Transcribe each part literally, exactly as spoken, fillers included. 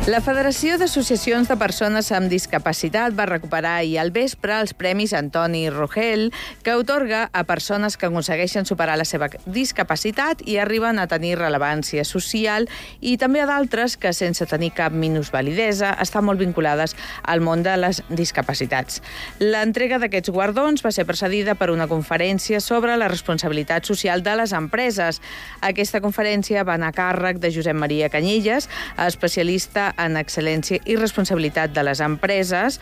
La Federació d'Associacions de Persones amb Discapacitat va recuperar ahir al vespre els Premis Antoni Rogel, que atorga a persones que aconsegueixen superar la seva discapacitat i arriben a tenir rellevància social, i també a d'altres que, sense tenir cap minusvalidesa, estan molt vinculades al món de les discapacitats. L'entrega d'aquests guardons va ser precedida per una conferència sobre la responsabilitat social de les empreses. Aquesta conferència va anar a càrrec de Josep Maria Canyelles, especialista en excel·lència i responsabilitat de les empreses,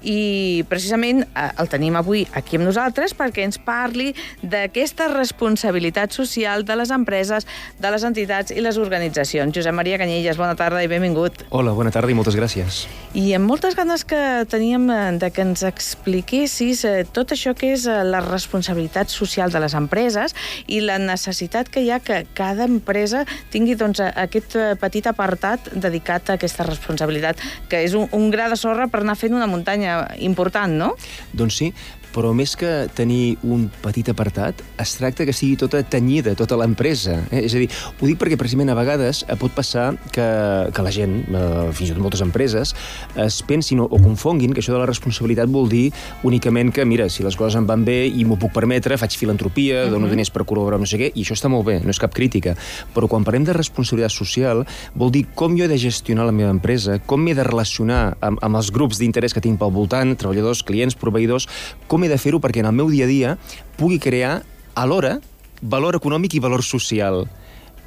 i precisament el tenim avui aquí amb nosaltres perquè ens parli d'aquesta responsabilitat social de les empreses, de les entitats i les organitzacions. Josep Maria Canyelles, bona tarda i benvingut. Hola, bona tarda i moltes gràcies. I amb moltes ganes que teníem de que ens expliquessis tot això que és la responsabilitat social de les empreses i la necessitat que hi ha que cada empresa tingui doncs, aquest petit apartat dedicat a aquesta responsabilitat, que és un, un gra de sorra per anar fent una muntanya important, no? Doncs sí, però més que tenir un petit apartat, es tracta que sigui tota tenyida, tota l'empresa. Eh? És a dir, ho dic perquè precisament a vegades pot passar que, que la gent, eh, fins i tot moltes empreses, es pensin o, o confonguin que això de la responsabilitat vol dir únicament que, mira, si les coses em van bé i m'ho puc permetre, faig filantropia, uh-huh. dono diners per col·laborar no sé què, i això està molt bé, no és cap crítica. Però quan parlem de responsabilitat social, vol dir com jo he de gestionar la meva empresa, com m'he de relacionar amb, amb els grups d'interès que tinc pel voltant, treballadors, clients, proveïdors, com he de fer-ho perquè en el meu dia a dia pugui crear alhora valor econòmic i valor social.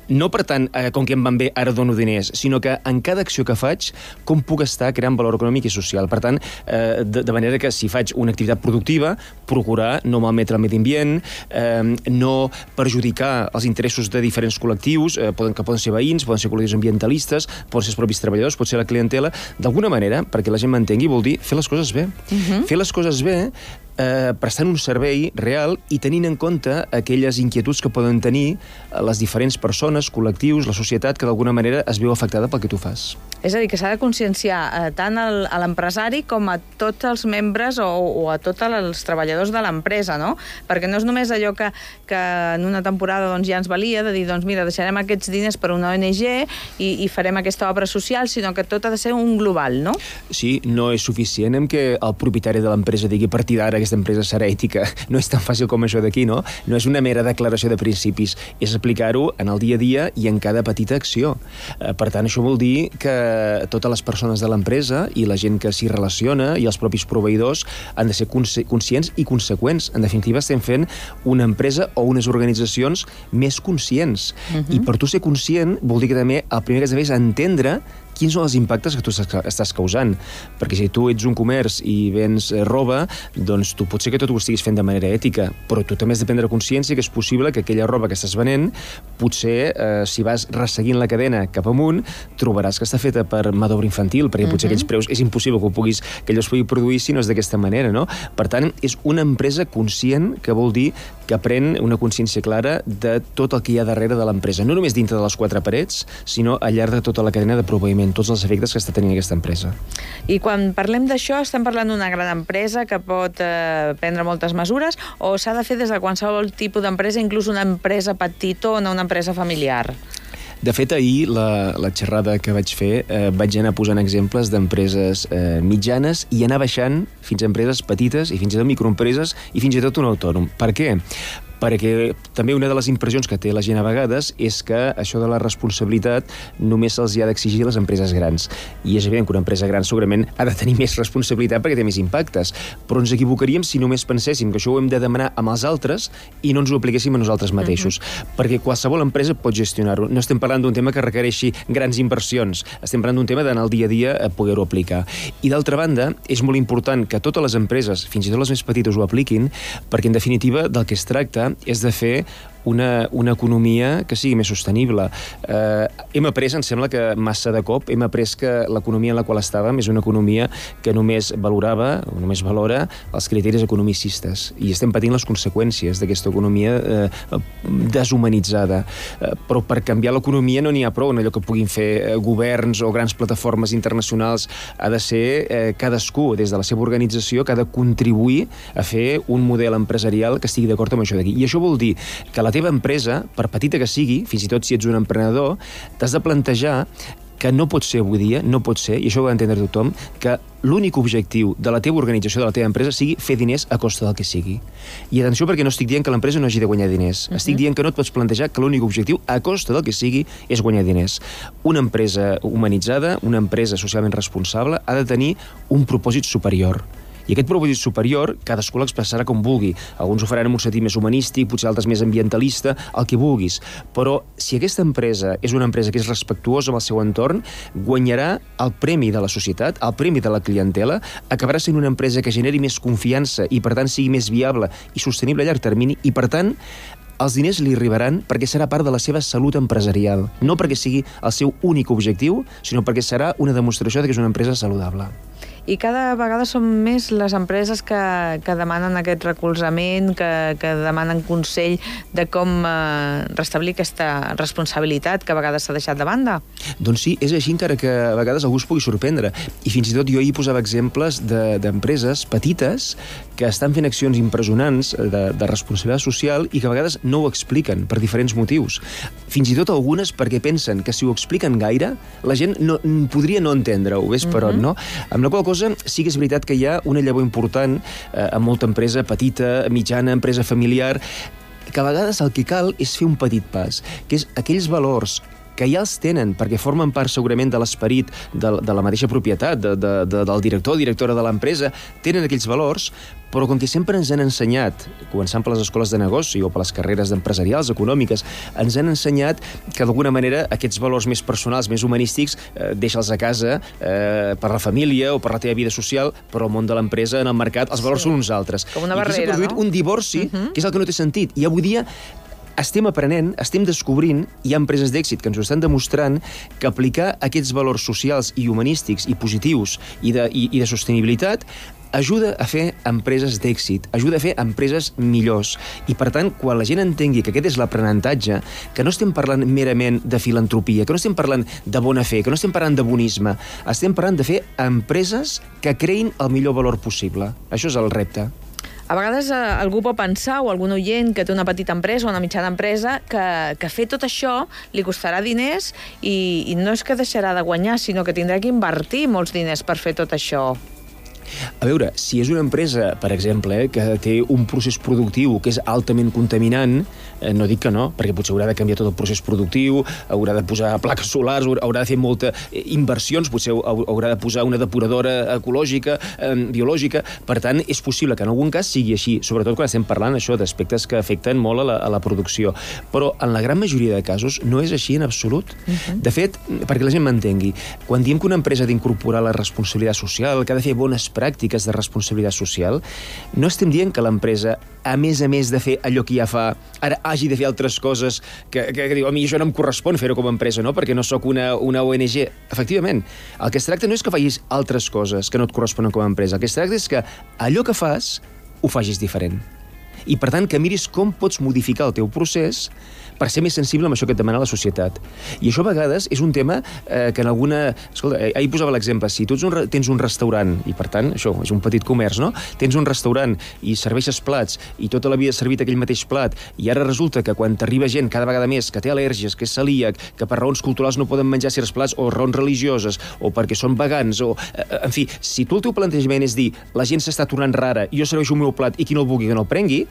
No, per tant, eh, com que em van bé, ara dono diners, sinó que en cada acció que faig, com puc estar creant valor econòmic i social. Per tant, eh, de, de manera que si faig una activitat productiva, procurar no malmetre el medi ambient, eh, no perjudicar els interessos de diferents col·lectius, eh, poden, que poden ser veïns, poden ser col·lectius ambientalistes, poden ser els propis treballadors, pot ser la clientela, d'alguna manera, perquè la gent m'entengui, vol dir fer les coses bé. Uh-huh. Fer les coses bé Eh, prestant un servei real i tenint en compte aquelles inquietuds que poden tenir les diferents persones, col·lectius, la societat, que d'alguna manera es veu afectada pel que tu fas. És a dir, que s'ha de conscienciar eh, tant el, a l'empresari com a tots els membres o, o a tots els treballadors de l'empresa, no? Perquè no és només allò que, que en una temporada doncs, ja ens valia de dir, doncs mira, deixarem aquests diners per una O N G i, i farem aquesta obra social, sinó que tot ha de ser un global, no? Sí, no és suficient en què el propietari de l'empresa digui a partir d'ara aquesta empresa serà ètica. No és tan fàcil com això d'aquí, no? No és una mera declaració de principis, és aplicar-ho en el dia a dia i en cada petita acció. Per tant, això vol dir que totes les persones de l'empresa i la gent que s'hi relaciona i els propis proveïdors han de ser conscients i conseqüents. En definitiva, estem fent una empresa o unes organitzacions més conscients. Uh-huh. I per tu ser conscient vol dir que també el primer que has de fer és entendre quins són els impactes que tu estàs causant. Perquè si tu ets un comerç i vens roba, doncs tu pot ser que tot ho estiguis fent de manera ètica, però tu també has de prendre consciència que és possible que aquella roba que estàs venent, potser, eh, si vas resseguint la cadena cap amunt, trobaràs que està feta per mà d'obra infantil, perquè potser uh-huh. aquells preus és impossible que, ho puguis, que allò es pugui produir si no és d'aquesta manera, no? Per tant, és una empresa conscient, que vol dir que pren una consciència clara de tot el que hi ha darrere de l'empresa. No només dintre de les quatre parets, sinó al llarg de tota la cadena de proveïment, tots els efectes que està tenint aquesta empresa. I quan parlem d'això, estem parlant d'una gran empresa que pot eh, prendre moltes mesures, o s'ha de fer des de qualsevol tipus d'empresa, inclús una empresa petitona, una empresa familiar? De fet, ahir, la, la xerrada que vaig fer, eh, vaig anar posant exemples d'empreses eh, mitjanes i anar baixant fins a empreses petites i fins i tot microempreses i fins i tot un autònom. Per què? Perquè també una de les impressions que té la gent a vegades és que això de la responsabilitat només se'ls hi ha d'exigir a les empreses grans. I és evident que una empresa gran segurament ha de tenir més responsabilitat perquè té més impactes, però ens equivocaríem si només penséssim que això ho hem de demanar amb els altres i no ens ho apliquéssim a nosaltres mateixos. Uh-huh. Perquè qualsevol empresa pot gestionar-ho. No estem parlant d'un tema que requereixi grans inversions, estem parlant d'un tema d'anar al dia a dia a poder-ho aplicar. I d'altra banda, és molt important que totes les empreses, fins i tot les més petites, ho apliquin, perquè en definitiva del que es tracta és de fer una, una economia que sigui més sostenible. Eh, hem après, em sembla que massa de cop, hem après que l'economia en la qual estàvem és una economia que només valorava, o només valora, els criteris economicistes. I estem patint les conseqüències d'aquesta economia eh, deshumanitzada. Eh, però per canviar l'economia no n'hi ha prou en allò que puguin fer eh, governs o grans plataformes internacionals. Ha de ser eh, cadascú, des de la seva organització, que ha de contribuir a fer un model empresarial que estigui d'acord amb això d'aquí. I això vol dir que la teva empresa, per petita que sigui, fins i tot si ets un emprenedor, t'has de plantejar que no pot ser avui dia, no pot ser, i això ho ha d'entendre tothom, que l'únic objectiu de la teva organització, de la teva empresa, sigui fer diners a costa del que sigui. I atenció, perquè no estic dient que l'empresa no hagi de guanyar diners. Uh-huh. Estic dient que no et pots plantejar que l'únic objectiu, a costa del que sigui, és guanyar diners. Una empresa humanitzada, una empresa socialment responsable, ha de tenir un propòsit superior. I aquest propòsit superior, cadascú l'expressarà com vulgui. Alguns ho faran en un sentit més humanístic, potser altres més ambientalista, el que vulguis. Però si aquesta empresa és una empresa que és respectuosa amb el seu entorn, guanyarà el premi de la societat, el premi de la clientela, acabarà sent una empresa que generi més confiança i, per tant, sigui més viable i sostenible a llarg termini i, per tant, els diners li arribaran perquè serà part de la seva salut empresarial, no perquè sigui el seu únic objectiu, sinó perquè serà una demostració de que és una empresa saludable. I cada vegada són més les empreses que, que demanen aquest recolzament, que, que demanen consell de com eh, restablir aquesta responsabilitat que a vegades s'ha deixat de banda. Doncs sí, és així, encara que a vegades algú es pugui sorprendre. I fins i tot jo hi posava exemples d'empreses de, petites que estan fent accions impressionants de, de responsabilitat social i que a vegades no ho expliquen per diferents motius. Fins i tot algunes perquè pensen que si ho expliquen gaire, la gent no, podria no entendre-ho, ves per on, no? Amb la qual cosa sí que és veritat que hi ha una llavor important eh, en molta empresa petita, mitjana, empresa familiar, que a vegades el que cal és fer un petit pas, que és aquells valors que ja els tenen, perquè formen part segurament de l'esperit de, de la mateixa propietat, de, de, de, del director o directora de l'empresa, tenen aquells valors, però com que sempre ens han ensenyat, començant per les escoles de negoci o per les carreres empresarials, econòmiques, ens han ensenyat que d'alguna manera aquests valors més personals, més humanístics, eh, deixa'ls a casa eh, per la família o per la teva vida social, però al món de l'empresa, en el mercat, els valors sí. són uns altres. Com una barrera, no? I aquí s'ha produït un divorci, uh-huh. que és el que no té sentit. I avui dia estem aprenent, estem descobrint, hi ha empreses d'èxit que ens ho estan demostrant, que aplicar aquests valors socials i humanístics i positius i de, i, i de sostenibilitat ajuda a fer empreses d'èxit, ajuda a fer empreses millors. I, per tant, quan la gent entengui que aquest és l'aprenentatge, que no estem parlant merament de filantropia, que no estem parlant de bona fe, que no estem parlant de bonisme, estem parlant de fer empreses que creïn el millor valor possible. Això és el repte. A vegades eh, algú pot pensar, o algun oient que té una petita empresa o una mitjana empresa, que, que fer tot això li costarà diners i, i no és que deixarà de guanyar, sinó que tindrà que invertir molts diners per fer tot això. A veure, si és una empresa, per exemple, eh, que té un procés productiu que és altament contaminant, eh, no dic que no, perquè potser haurà de canviar tot el procés productiu, haurà de posar plaques solars, haurà de fer molta inversions, potser haurà de posar una depuradora ecològica, eh, biològica. Per tant, és possible que en algun cas sigui així, sobretot quan estem parlant això d'aspectes que afecten molt a la, a la producció. Però en la gran majoria de casos no és així en absolut. Uh-huh. De fet, perquè la gent m'entengui, quan diem que una empresa ha d'incorporar la responsabilitat social, que ha de fer bones pràctiques de responsabilitat social, no estem dient que l'empresa, a més a més de fer allò que ja fa, ara hagi de fer altres coses que, que, que diu, a mi això no em correspon fer-ho com a empresa, no? Perquè no sóc una, una O N G. Efectivament, el que es tracta no és que facis altres coses que no et corresponen com a empresa, el que es tracta és que allò que fas ho facis diferent. I, per tant, que miris com pots modificar el teu procés per ser més sensible amb això que et demana la societat. I això a vegades és un tema eh, que en alguna... Escolta, eh, ahir posava l'exemple, si tu ets un, tens un restaurant, i per tant, això és un petit comerç, no? Tens un restaurant i serveixes plats, i tota la vida has servit aquell mateix plat, i ara resulta que quan t'arriba gent cada vegada més que té al·lèrgies, que és celíac, que per raons culturals no poden menjar certs plats, o raons religioses, o perquè són vegans, o... Eh, en fi, si tu el teu plantejament és dir la gent s'està tornant rara, i jo serveixo el meu plat, i qui no el vulgui que no el prengui,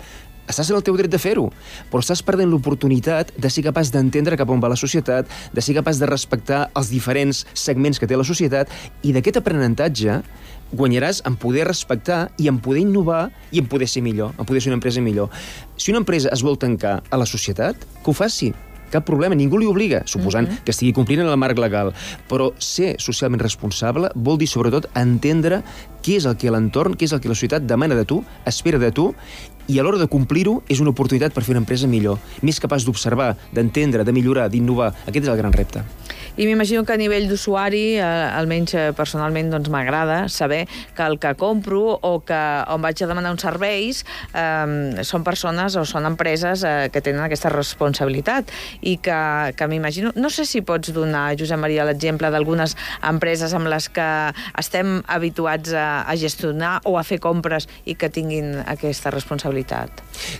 estàs en el teu dret de fer-ho, però estàs perdent l'oportunitat de ser capaç d'entendre cap on va la societat, de ser capaç de respectar els diferents segments que té la societat, i d'aquest aprenentatge guanyaràs en poder respectar i en poder innovar i en poder ser millor, en poder ser una empresa millor. Si una empresa es vol tancar a la societat, que ho faci. Cap problema, ningú li obliga, suposant uh-huh. que estigui complint en el marc legal. Però ser socialment responsable vol dir, sobretot, entendre què és el que l'entorn, què és el que la societat demana de tu, espera de tu, i a l'hora de complir-ho és una oportunitat per fer una empresa millor, més capaç d'observar, d'entendre, de millorar, d'innovar. Aquest és el gran repte. I m'imagino que a nivell d'usuari, eh, almenys personalment, doncs m'agrada saber que el que compro o que on vaig a demanar uns serveis eh, són persones o són empreses eh, que tenen aquesta responsabilitat i que, que m'imagino... No sé si pots donar, Josep Maria, l'exemple d'algunes empreses amb les que estem habituats a, a gestionar o a fer compres i que tinguin aquesta responsabilitat.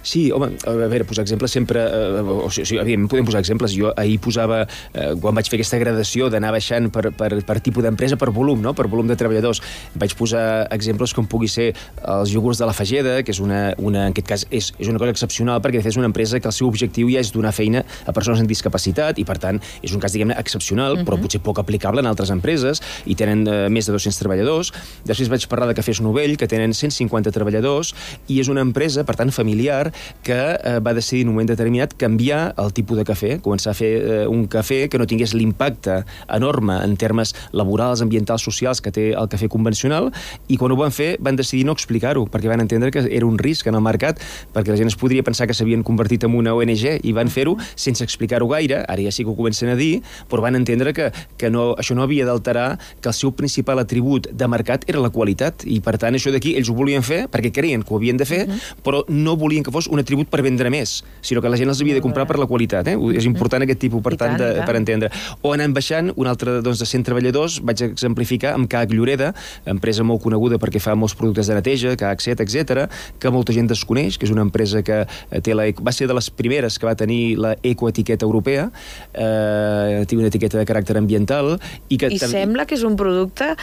Sí, home, a veure, posar exemples sempre... Eh, o sigui, evidentment podem posar exemples. Jo ahir posava, eh, quan vaig fer aquesta gradació d'anar baixant per, per, per tipus d'empresa, per volum, no? Per volum de treballadors. Vaig posar exemples com pugui ser els iogurts de la Fageda, que és una, una en aquest cas és, és una cosa excepcional, perquè de fet és una empresa que el seu objectiu ja és donar feina a persones amb discapacitat i, per tant, és un cas, diguem-ne, excepcional, uh-huh. però potser poc aplicable en altres empreses, i tenen eh, més de dos-cents treballadors. Després vaig parlar de Cafès Novell, que tenen cent cinquanta treballadors, i és una empresa, per tant, familiar, que eh, va decidir en un moment determinat canviar el tipus de cafè, començar a fer eh, un cafè que no tingués l'impacte enorme en termes laborals, ambientals, socials que té el cafè convencional, i quan ho van fer van decidir no explicar-ho, perquè van entendre que era un risc en el mercat, perquè la gent es podria pensar que s'havien convertit en una O N G i van fer-ho sense explicar-ho gaire, ara ja sí que ho comencen a dir, però van entendre que, que no, això no havia d'alterar que el seu principal atribut de mercat era la qualitat, i per tant això d'aquí ells ho volien fer perquè creien que ho havien de fer, uh -huh. però no volien que fos un atribut per vendre més, sinó que la gent els havia de comprar per la qualitat. Eh? És important aquest tipus, per tant, de, per entendre. O anant baixant, un altre doncs, de cent treballadors, vaig exemplificar amb C A H Lloreda, empresa molt coneguda perquè fa molts productes de neteja, C A H set, etcètera, que molta gent desconeix, que és una empresa que té la, va ser de les primeres que va tenir la ecoetiqueta europea, eh, té una etiqueta de caràcter ambiental, i que... I sembla que és un producte...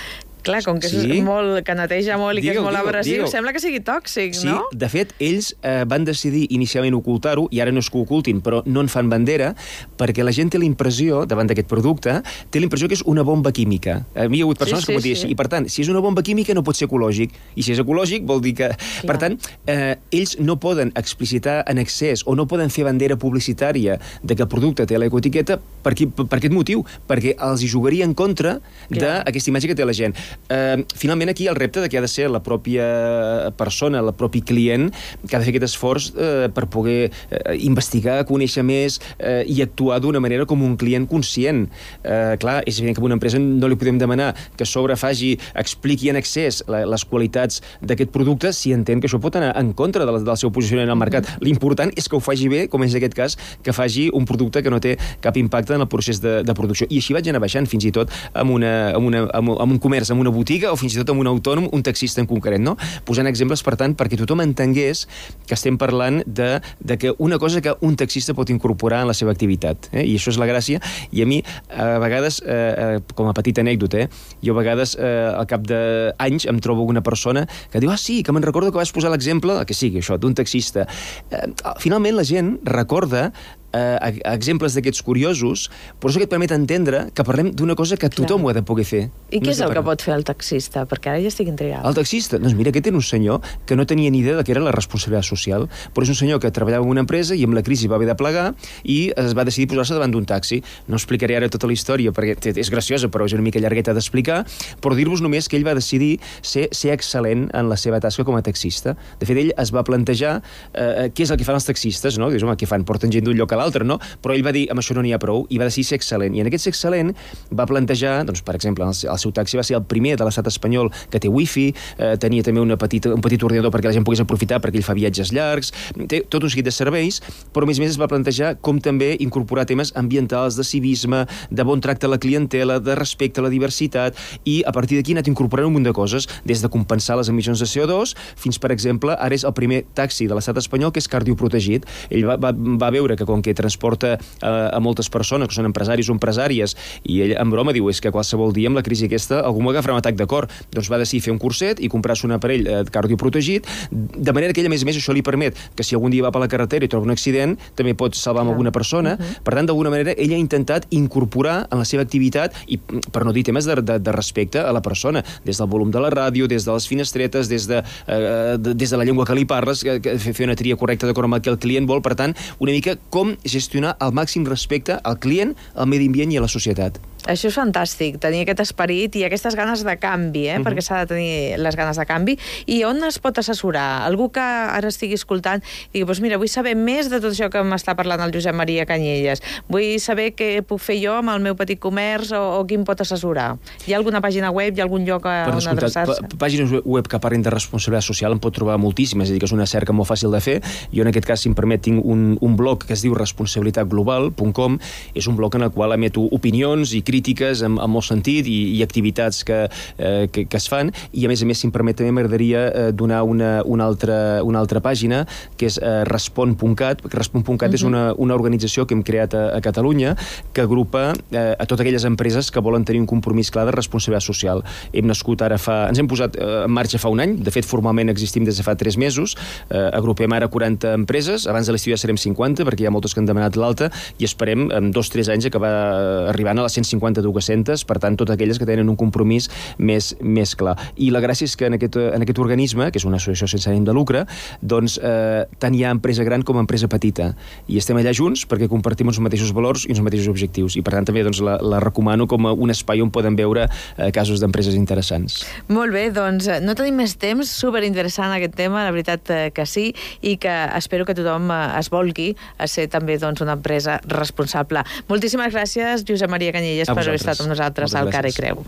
Clar, com que, sí? és molt, que neteja molt i que digue, és molt digue, abrasiu, digue. Sembla que sigui tòxic, sí, no? Sí, de fet, ells eh, van decidir inicialment ocultar-ho, i ara no és que ho ocultin, però no en fan bandera, perquè la gent té la impressió, davant d'aquest producte, té la impressió que és una bomba química. A mi hi ha hagut persones sí, sí, que m'ho diuen, sí. i per tant, si és una bomba química no pot ser ecològic, i si és ecològic vol dir que... Clar. Per tant, eh, ells no poden explicitar en excés, o no poden fer bandera publicitària de que el producte té l'ecoetiqueta per, aquí, per, per aquest motiu, perquè els hi jugaria en contra d'aquesta imatge que té la gent. Uh, finalment aquí el repte de que ha de ser la pròpia persona, el propi client, que ha de fer aquest esforç uh, per poder uh, investigar, conèixer més uh, i actuar d'una manera com un client conscient. Uh, clar, és evident que a una empresa no li podem demanar que a sobre faci, expliqui en excés la, les qualitats d'aquest producte si entén que això pot anar en contra de la, del seu posicionament al mercat. Mm-hmm. L'important és que ho faci bé, com és aquest cas, que faci un producte que no té cap impacte en el procés de, de producció. I així vaig anar baixant fins i tot amb, una, amb, una, amb, amb un comerç, amb una botiga, o fins i tot amb un autònom, un taxista en concret, no? Posant exemples, per tant, perquè tothom entengués que estem parlant de, de que una cosa que un taxista pot incorporar en la seva activitat, eh? I això és la gràcia, i a mi, a vegades, eh, com a petita anècdota, eh, jo a vegades, eh, al cap d'anys, em trobo una persona que diu, ah, sí, que me'n recordo que vas posar l'exemple, que sigui això, d'un taxista. Eh, finalment, la gent recorda eh, exemples d'aquests curiosos, però això que et permet entendre que parlem d'una cosa que tothom Clar. ho ha de poder fer. I què és el que pot fer el taxista? Perquè ara ja estic intrigada. El taxista? Doncs mira, aquest era un senyor que no tenia ni idea de què era la responsabilitat social, però és un senyor que treballava en una empresa i amb la crisi va haver de plegar i es va decidir posar-se davant d'un taxi. No explicaré ara tota la història perquè és graciosa, però és una mica llargueta d'explicar, però dir-vos només que ell va decidir ser, ser excel·lent en la seva tasca com a taxista. De fet, ell es va plantejar eh, què és el que fan els taxistes, no? Dius, home, què fan? Porten gent d'un lloc a l'altre, no? Però ell va dir, amb això no n'hi ha prou, i va decidir ser excel·lent. I en aquest ser excel·lent va plantejar, doncs, per exemple, el, el seu taxi va ser el primer de l'estat espanyol que té wifi, eh, tenia també una petita, un petit ordinador perquè la gent pogués aprofitar perquè ell fa viatges llargs, té tot un seguit de serveis, però a més a més es va plantejar com també incorporar temes ambientals, de civisme, de bon tracte a la clientela, de respecte a la diversitat, i a partir d'aquí ha anat incorporant un munt de coses, des de compensar les emissions de C O dos fins, per exemple, ara és el primer taxi de l'estat espanyol que és cardioprotegit. Ell va, va, va veure que com que transporta a, a moltes persones que són empresaris o empresàries, i ell en broma diu, és que qualsevol dia amb la crisi aquesta algú m'agafarà un atac de cor, doncs va decidir fer un curset i comprar-se un aparell eh, cardioprotegit, de manera que ell, a més a més, això li permet que si algun dia va per la carretera i troba un accident, també pot salvar amb alguna persona. Uh-huh. Per tant, d'alguna manera, ell ha intentat incorporar en la seva activitat, i per no dir temes de, de, de respecte a la persona, des del volum de la ràdio, des de les finestretes, des de, eh, de, des de la llengua que li parles, que, que fer una tria correcta d'acord amb el que el client vol, per tant, una mica com gestionar el màxim respecte al client, al medi ambient i a la societat. Això és fantàstic, tenir aquest esperit i aquestes ganes de canvi, eh? Uh-huh. Perquè s'ha de tenir les ganes de canvi. I on es pot assessorar? Algú que ara estigui escoltant i digui, doncs mira, vull saber més de tot això que m'està parlant el Josep Maria Canyelles. Vull saber què puc fer jo amb el meu petit comerç o, o qui em pot assessorar. Hi ha alguna pàgina web, hi ha algun lloc on adreçar-se? Pàgines web que parlin de responsabilitat social en pot trobar moltíssimes, és a dir, que és una cerca molt fàcil de fer. Jo en aquest cas, si em permet, tinc un, un blog que es diu responsabilitat global punt com. És un blog en el qual emeto opinions i crítiques crítiques amb, amb molt sentit i, i activitats que, eh, que, que es fan, i a més a més, si em permet, també m'agradaria eh, donar una, una, altra, una altra pàgina, que és eh, respon punt cat, perquè respon punt cat uh-huh. és una, una organització que hem creat a, a Catalunya que agrupa eh, a totes aquelles empreses que volen tenir un compromís clar de responsabilitat social. Hem nascut ara fa... Ens hem posat eh, en marxa fa un any, de fet formalment existim des de fa tres mesos, eh, agrupem ara quaranta empreses, abans de l'estiu ja serem cinquanta, perquè hi ha moltes que han demanat l'alta, i esperem en dos o tres anys acabar arribant a les cent cinquanta dues-centes, per tant, totes aquelles que tenen un compromís més, més clar. I la gràcia és que en aquest, en aquest organisme, que és una associació sense ànim de lucre, doncs eh, tant hi ha empresa gran com empresa petita, i estem allà junts perquè compartim els mateixos valors i els mateixos objectius, i per tant també doncs, la, la recomano com a un espai on poden veure eh, casos d'empreses interessants. Molt bé, doncs no tenim més temps, superinteressant aquest tema, la veritat que sí, i que espero que tothom es volgui a ser també doncs, una empresa responsable. Moltíssimes gràcies, Josep Maria Canyelles, per haver estat amb nosaltres al Cara i Creu.